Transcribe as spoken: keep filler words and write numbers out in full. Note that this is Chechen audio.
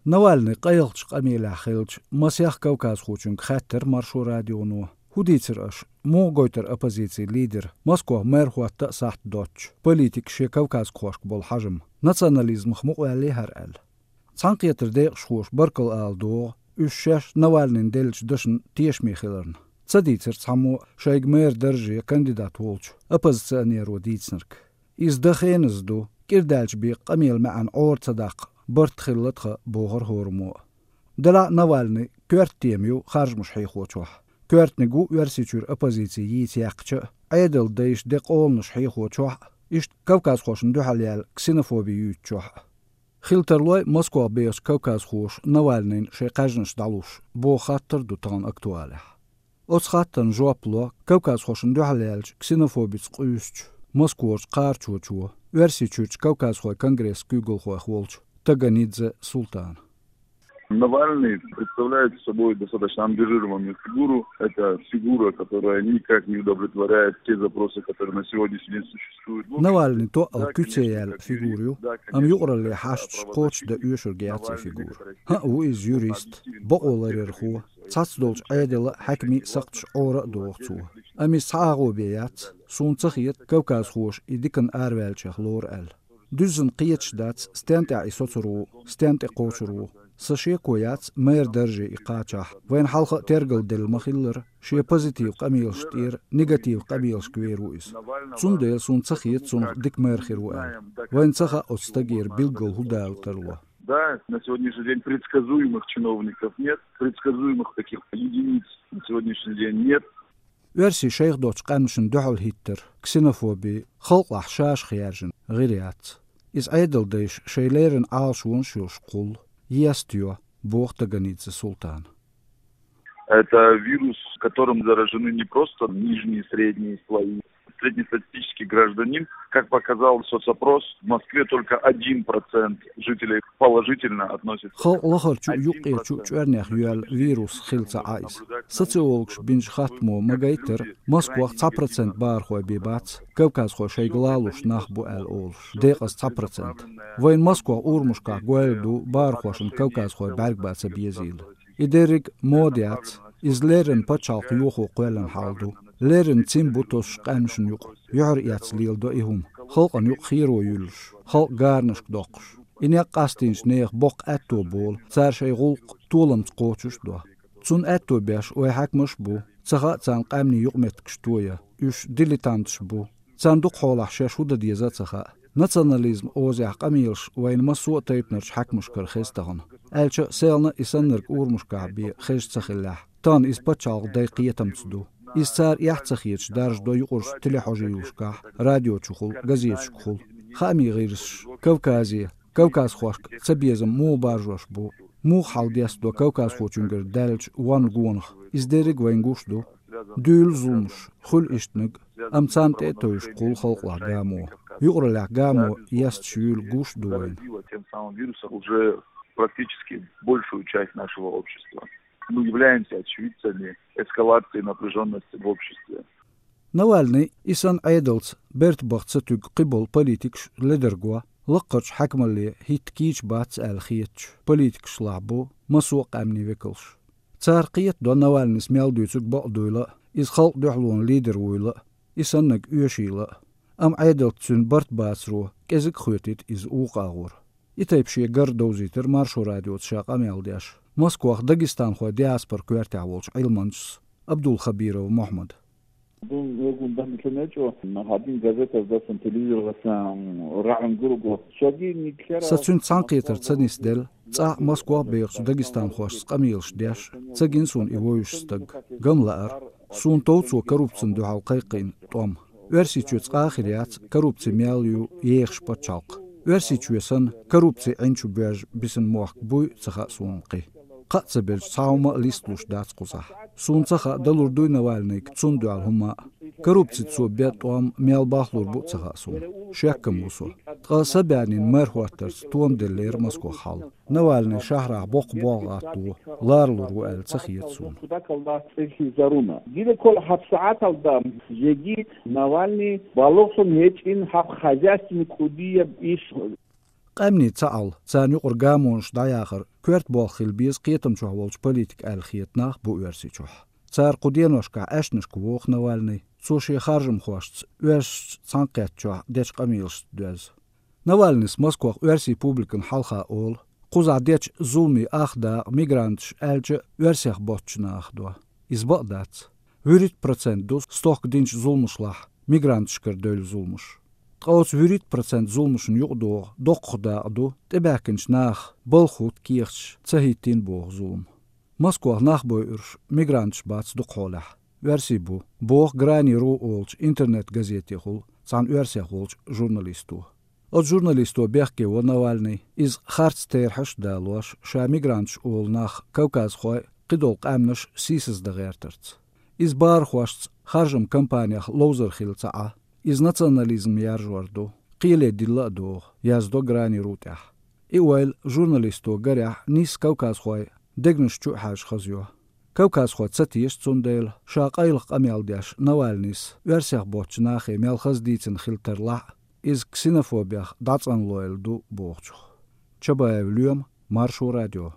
Навальный къайлахчу къамелехь хиллачу масех кавказхочуьнга хаьттира Маршо радионо, хӀун дийцира аша, муха гойтура оппозицин лидер, Москох мэр хӀотта а сахьт доцчу, политикан шен кавказхошка болу хьажам, национализмах мукъаваьллий хӀара аьлла. Цхьаьнакхетаран декъашхоша баркалла ала догӀу, уьш шаьш Навальныйна деллачу дашна тешаме хиларна. Ца дийцира цхьаммо шайга мэр дарже кандидат волчу оппозиционеро дийцинарг. Иза дан хеназа ду, кӀира даьлча бен къамелан маьӀна Ӏора ца даккха барт хилла тхан, бохура хӀораммо а. Делахь а Навальныйн коьрта тема ю харжамаш хьехочохь. Коьртаниг ву Оьрсийчуьра оппозици йийца яьккхича а, Ӏедалан дайша де къоланаш хьехочохь а, иштта кавказхошна дуьхьал яьлла ксенофоби юьйцучохь а. Хила тарлой Москох бехачу кавказхоша Навальныйна шайн кхаьжнаш дӀалуш, боху хаттар ду тахана актуалехь. Оцу хаттарна жоп ло кавказхошна дуьхьал яьллачу ксенофобица къуьйсучу Москварчу кхарачочо, Оьрсийчуьрчу кавказхойн конгрессан куьйгалхойх волчу Таганидзе Султана. Навальный представляет собой достаточно ангажированную фигуру. Это фигура, которая никак не удовлетворяет те запросы, которые на сегодняшний день существуют. Навальный тоъал куьце яьлла фигура ю, амма юкъараллин хьашташ кхочушдан оьшург яц и фигура. ХӀаъ, ву иза юрист, бакъо ларъярхо, цхьацца долчу Ӏедалан а, хьаькамийн а сакхташ Ӏора а доху цо. Амма иза цхьа агӀо бен яц, суна ца хета, кавказхоша и диканна араваьллачех лору аьлла. Дуьззина кхеташ дац, стен тӀехь и соцур ву, стен тӀе кхочур ву. Сан шеко яц, мэр дарже и кхачахь, вайна хьалха а тергал делла ма-хиллара, шен позитив къамелаш тӀера негатив къамелашка вер ву иза. Цундела суна ца хета цунах дика мэр хир ву аьлла. Вайна ца хаьа оцу стагера билггал хӀун дала тарло. Да, на сегодняшний день предсказуемых чиновников нет, предсказуемых таких единиц на сегодняшний день нет. Оьрсийн шайх доцчу къаьмнашна дуьхьал хӀиттар, ксенофоби, халкъалахь ша-ша хержина гӀира яц. Иза Ӏедалан дайша шайн леррина Ӏалашонаш йолуш кхуллу, естайо, боху Таганидзе Султана. Это вирус, которым заражены не просто нижние, средние слои. Среднестатистический гражданин, как показал соцопрос, в Москве только один процент жителей положительно относится. Халкъ лахарчу а, юккъерчу а чӀоьрнех йоьлла вирус хилла ца Ӏа иза. Социологаша бинчу хаттамо ма-гайттара, Москвах цхьа процент бахархой бен бац, кавказхой шайга лалуш нах бу аьлла олуш, декъаза цхьа процент. Вайна Москвах урамашкахь гойла ду бахархошна кавказхой бӀаьрг бан ца безийла. И дерриг а мода яц, иза леррина пачхьалкх йохо кхоьллина хьал ду. Леррина цим бу тосуш къаьмнашна юкъа. Юьхьар эцна леладо и хӀума, халкъана юкъа херо юьллуш, халкъ гаранашка доккхуш. И некъ къастийначу нехан боккха аьтто болу, цара шайн гӀуллакх толамца кхочуш а до. Цунна аьтто беш вайн хьаькамаш а бу, ца хаьа царна къаьмнийн юкъаметтигаш тоян, уьш дилетанташ бу. Царна дукха хьолахь шаьш хӀун дан деза а ца хаьа. Национализм озехь къамелаш вайна массо а тайпанарчу хьаькамашкара хеза тахана, аьлча а, селхана и саннарг урамашкахь бен хезаш ца хиллехь, тахана иза пачхьалкхан дайн кхетамца ду. Иза цара эхь ца хеташ даржадо юкъарчу телехьожийлашкахь, радиочухула, газеташкахула. Хаамийн гӀирсаш, Кавказе, кавказхошка цабезам муха баржош бу, муха хьалдестадо кавказхочуьнгара даьллачу вон гонах, иза дерриг а вайна гуш ду. Дуьйлу зуламаш, хуьлу ишттаниг, амма царна тӀе а тевжаш кхуллу халкъалахь гамо. Юкъараллехь гамо есташ юйла гуш а ду вайна. Тем самым вирусом уже практически большую часть нашего общества. Мы являемся очевидцами эскалации напряжённости в обществе. Навальный, и санна Ӏедалца берта баха ца туьгу кхиболу политикаш ледарго, лаккхарчу хьаькамалле хӀитта кийча бац аьлла хетачу политикашлахь бу массо а къаьмнийн векалш. Цара кхетадо Навальныйс мел дуьйцург бакъдуйла а, иза халкъан дуьхьалонан лидер вуйла а, и саннарг оьшийла а. Амма Ӏедалца цуьнан барт бацаро кӀезиг а хоьтуьйту иза вукху агӀор. И тайпа шен гар довзийтира Маршо радиоца ша къамел деш Москвахь дагестанхойн диаспоран коьртехь волчу Ӏилманчас Абдулхабиров Мухьаммада. Дун вегун дан ца нечо, хадин газетаздасан, телевизордасан раьӀун гурго. Шоги никлера. Сан цуьнца цхьаьнакхетар ца нисделла, цӀахь Москвахь бехачу дагестанхошца къамелаш деш, ца гина суна и вевзаш стаг. Ган лаьара, суна тов цо коррупцина дуьхьал кхайкхийна тӀом. Оьрсийчоь цкъа а хир яц коррупци мел ю ехаш пачхьалкх. Оьрсийчоь санна, коррупци Ӏин чу боьжна бисина мохк буй а ца хаьа суна кхин. Кхаъ ца белча, цхьа хӀума а листалуш дац кхузахь. Суна ца хаьа, далур дуй Навальныйга цунна дуьхьал хӀумма а. Коррупцица цо бен тӀом мел бахлур бу а ца хаьа суна. Шеккам ву со. Ткъа са баьннин мэр хӀоттарца тонделлера Москвахь хьал. Навальный шахьарахь боккха болх гӀатто, ларалур ву аьлла ца хета суна. Куда колда цӀехи заруна. Гида кол хьабсагӀаталда жеги Навальный балугӀ сун гьечӀин хьаб хозяйственный кӀудияб иш. Къаьмнийн цхьаалла, царна юкъара гамонаш дӀаяхар коьрта болх хила беза кхетам чохь волчу политикан аьлла хета нах бу Оьрсийчохь. Цара кху деношкахь Ӏаьшнашка воху Навальный, цо шен харжамхошца оьрсашца цхьаьнакхеттачохь дечу къамелашца доьзна. Навальныйс Москвахь оьрсийн публикана хьалха олу, кхузахь дечу зуламийн ах дакъа мигранташ аьлча а оьрсех боцчу нахах до. Иза бакъ дац. ВуьрхӀитта процент ду стохка динчу зуламашлахь мигранташкара девлла зуламаш. Ткъа оцу вуьрхӀитта процент зуламашна юкъадогӀу доккха дакъа ду тӀебаьхкинчу наха балха хӀутту кехаташ ца хӀиттийна боху зулам. Москвахь нах бойуш мигранташ бац дукхахьолехь, оьрсий бу, боху Грани ру олучу интернет-газетехула цхьана оьрсех волчу журналисто. Оцу журналисто бехке во Навальный, иза харц терахьаш а далош, ша мигранташ олу нах кавказхой, кхидолу къаьмнаш сийсаздан гӀертарца. Иза бахархошца харжамийн кампанех ловзар хилла ца Ӏа, иза национализм яржор ду, кхеле дилла а догӀу, яздо Грани ру тӀехь. И ойла журналисто гарехь нисса кавказхой дегнаш чу а хьаьжжа хазайо. Кавказхой ца теша, цундела ша къайлаха къамел деш Навальныйс оьрсех боцчу нахе мел хаза дийцина хила тарлахь а, иза ксенофобех дӀацӀанлойла ду бохучух. Чабаев Лоьма, Маршо радио.